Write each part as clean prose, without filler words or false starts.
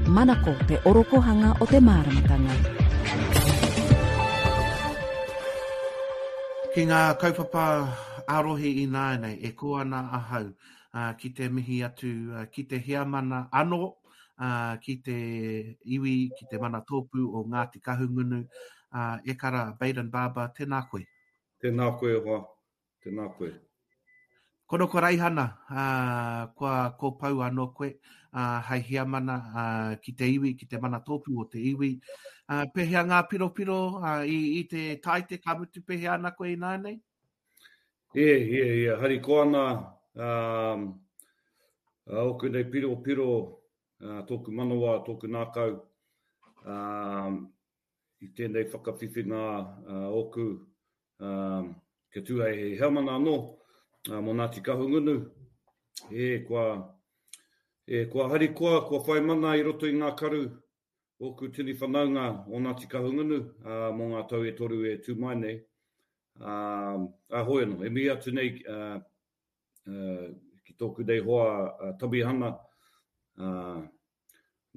Manako te orokohanga o te māramatanga. Ki ngā kaupapa ā-rohe ināianei, e kō ana ahau ki te mihi atu ki te heamana anō, ki te iwi, ki te manatōpū o Ngāti Kahungunu, e kara Bayden Barber, tēnā koe. Tēnā koe e hoa, tēnā koe. Kono ko Raihana, ā, kua kōpou anō koe, ā, hei heamana, ā, ki te iwi, ki te manatōpū o te iwi. Ā, pēhea ngā piropiro, ā, i, i te Tāite, ka mutu pēhea ana koe ināianei? E, e, e, harikoa ana, ā, ōku nei piropiro, ā, tōku manawa, tōku ngākau, ā, i tēnei whakawhiwhinga ōku, kia tū hei heamana anō mō Ngāti Kahungunu, e, kua, e, kua harikoa, kua whai mana i roto i ngā karu ōku tini whanaunga o Ngāti Kahungunu mō ngā tau e toru e tū mai nei. Ā, ā, hoi anō, e mihi atu nei ki tōku nei hoa Tamihana, ā,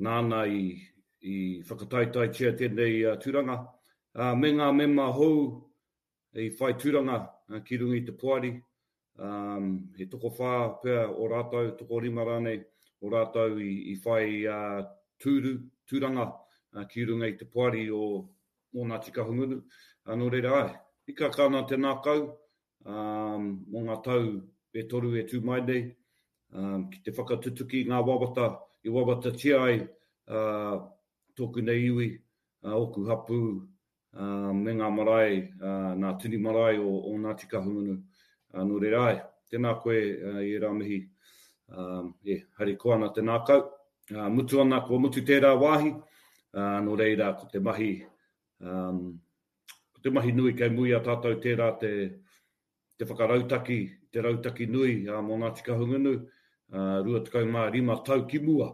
nāna i i whakataetaetia tēnei tūranga, ā, me ngā mema hou i whai tūranga ki runga i te poari, ā, he tokowhā pea o rātou, tokorima rānei o rātou i i whai tūru, tūranga ki runga i te poari o o Ngāti Kahungunu. Nō reira, āe, hikaka ana te ngākau, ā, mō ngā tau e toru e tū mai nei, ā, ki te whakatutuki i ngā wawata i wawatatia ai, ā, tōku nei iwi, ā, ōku hapū, ā, me ngā marae, ā, ngā tini marae o, o Ngāti Kahungunu. Ā, nō reira, āe, tēnā koe i ērā mihi, ā, e, harikoa ana te ngākau, ā, mutu ana, kua mutu tērā wāhi, ā, nō reira, ko te mahi, ā, Ko te mahi nui kei muri i a tātou tērā te te whakarautaki, te rautaki nui mō Ngāti Kahungunu, 25 tau ki mua.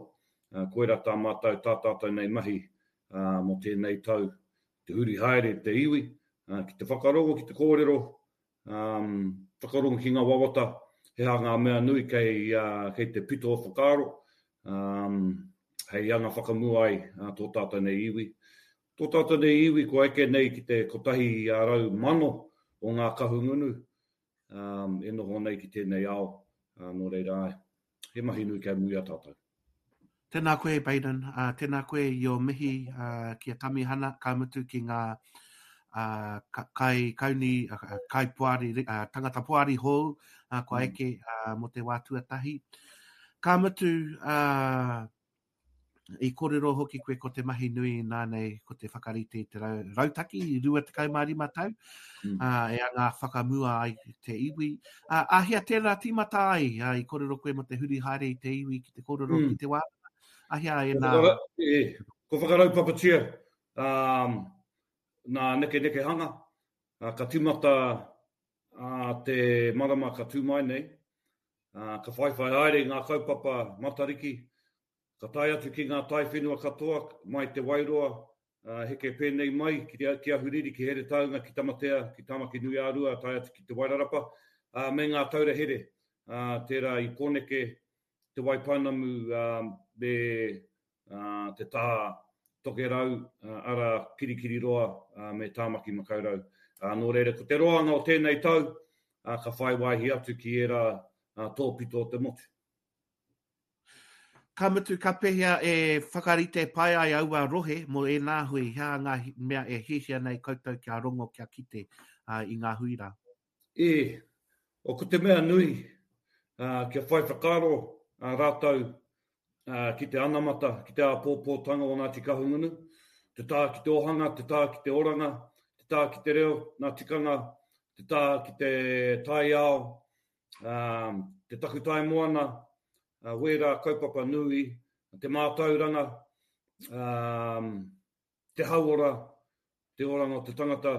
Koirā tā mātou, tā tātou nei mahi mō tēnei tau, te huri haere te iwi, ki te whakarongo, ki te kōrero, whakarongo ki ngā wawata, he aha ngā mea nui kei, kei te pito o whakaaro, hei anga whakamua ai tō tātou nei iwi. Tō tātou nei iwi kua eke nei ki te 100,000 o ngā Kahungunu e noho nei ki tēnei ao, nō reira āe, he mahi nui kei muri i a tātou. Tēnā koe Bayden, tēnā koe i ō mihi ki a Tamihana, ka mutu ki ngā kai kauni, kai poari, tangata poari hou kua eke mō te wā tuatahi. Ka mutu, I kōrero hoki koe ko te mahi nui nānei ko te whakarite i te rautaki i 25 tau, mm. uh, e anga whakamua ai te iwi. Uh, āhea tērā tīmata ai, uh, i kōrero koe mō te huri haere i te iwi ki te kōrero mm. ki te wānanga. Āhea e nā... E, ko whakaraupapatia um, nā nekenekehanga, uh, ka tīmata uh, te marama ka tū mai nei, uh, ka whaiwhai haere i ngā kaupapa Matariki, Ka tae atu ki ngā taiwhenua katoa, mai Te Wairoa, ā, heke pēnei mai ki te, ki Ahuriri, ki Heretaunga, ki Tamatea, ki Tāmaki-nui-ā-Rua, tae atu ki Te Wairarapa, ā, me ngā taura here, ā, tērā i Pōneke, Te Waipounamu, ā, me, ā, te taha Tokerau, ā, arā, Kirikiriroa, ā, me Tāmaki-makau-rau. Ā, nō reira, ko te roanga o tēnei tau, ā, ka whai wāhi atu ki ērā, ā, tōpito o te motu. Ka mutu, ka pēhea e whakarite pai ai aua rohe mō ēnā hui, he aha ngā mea e hiahia nei koutou kia rongo, kia kite i ngā hui rā? E, o ko te mea nui, kia whai whakaaro rātou ki te anamata, ki te āpōpōtanga o Ngāti Kahungunu, te taha ki te ohanga, te taha ki te oranga, te taha ki te reo, ngā tikanga, te taha ki te taiao, te takutai moana, wērā kaupapa nui, te mātauranga, te hauora, te oranga o te tangata,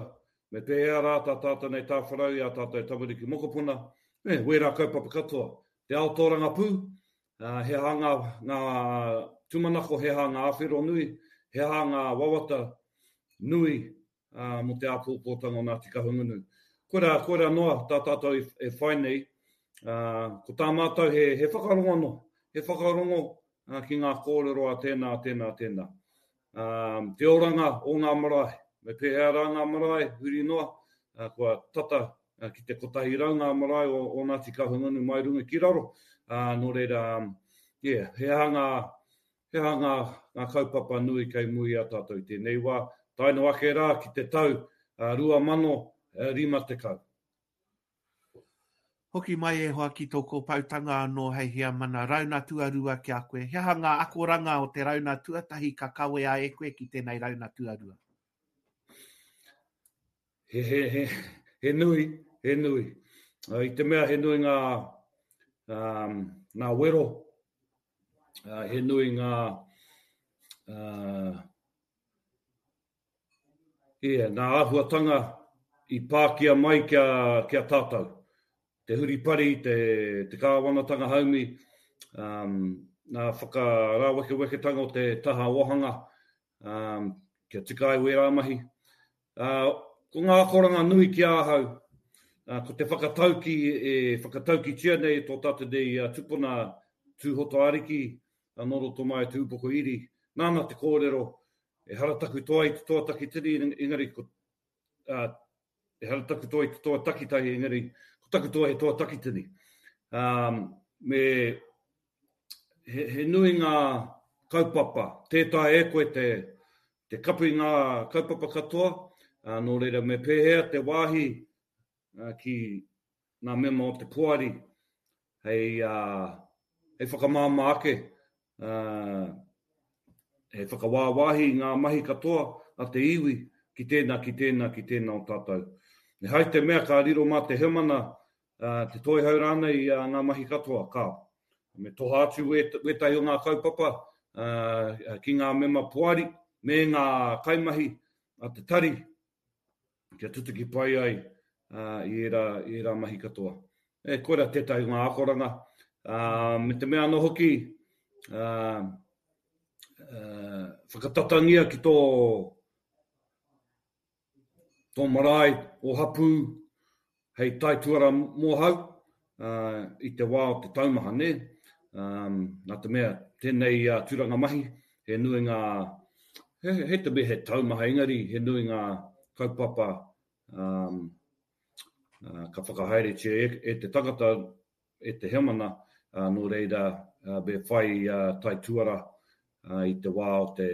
me pēhea rā tā tātou nei tāwharau i ā tātou tamariki mokopuna, me wērā kaupapa katoa. Te ao tōrangapū, he aha ngā, ngā tūmanako, he aha ngā āwhero nui, he aha ngā wawata nui ā, mō te āpōpōtanga o Ngāti Kahungunu. Koirā, koirā noa tā tātou e whai nei, ā, ko tā mātou he, he whakarongo anō, he whakarongo, ki ngā kōrero a tēnā, tēnā, tēnā. Te oranga o ngā marae, me pēhea rā ngā marae huri noa, kua tata ki te 100 ngā marae o Ngāti Kahungunu mai runga ki raro, nō reira, yeah, he aha ngā, he aha ngā, ngā kaupapa nui kei mua i a tātou i tēnei wā, tae noa ake rā ki te tau 2050. Hoki mai e hoa ki tō kōpoutanga anō hei heamana rauna tuarua ki a koe. He aha ngā akoranga o te rauna tuatahi ka kawea e koe ki tēnei rauna tuarua? He, he, he, he nui, he nui. Uh, I te mea he nui ngā, um, ngā wero, uh, he nui ngā, uh, Ia, nā āhuatanga i pākia mai ki a, ki a tātou. Te huripari, te, te kāwanatanga haumi, um, nā whakarāwekeweketanga o te taha ōhanga, um, kia tika ai wērā mahi. Uh, ko ngā akoranga nui ki ahau, uh, ko te whakatauki e whakataukitia nei e tō tātou nei uh, tupuna Tūhoto Ariki, uh, nō roto mai o Te Ūpoko Iri, nāna te kōrero, Ehara taku toa i te toa takitini, engari ko, ā, ehara taku toa i te toa takitahi, engari ko taku toa he toa takitini. Ā, me, he, he nui ngā kaupapa, tē taea e koe te, te kapi ngā kaupapa katoa, ā, nō reira me pēhea te wāhi ki ngā mema o te poari hei, hei whakamāmā ake, hei whakawāwāhi i ngā mahi katoa a te iwi ki tēnā, ki tēnā, ki tēnā o tātou. Ehara i te mea ka riro mā te heamana, te toihau rānei i ngā mahi katoa, kāo. Me toha atu wētahi o ngā kaupapa ki ngā mema poari me ngā kaimahi a te tari kia tutuki pai ai i ērā, i ērā mahi katoa. E, koira tētahi o ngā akoranga. Me te mea anō hoki, whakatatangia ki tō, tō marae, ō hapū, hei taituara mōhau i te wā o te taumaha, nē? Nā te mea, tēnei tūranga mahi, he nui ngā, he, he te mea he taumaha, engari he nui ngā kaupapa ka whakahaeretia e, e te tangata, e te heamana, nō reira me whai taituara i te wā o te,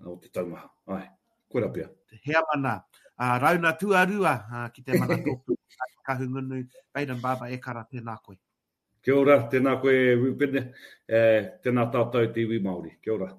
o te taumaha. Āe, koira pea. Te heamana, ā, rauna tuarua ki te Manatōpū Kahungunu, Bayden Barber, e kara, tēnā koe. Kia ora, tēnā koe Rupene, e, tēnā tātou te iwi Māori. Kia ora.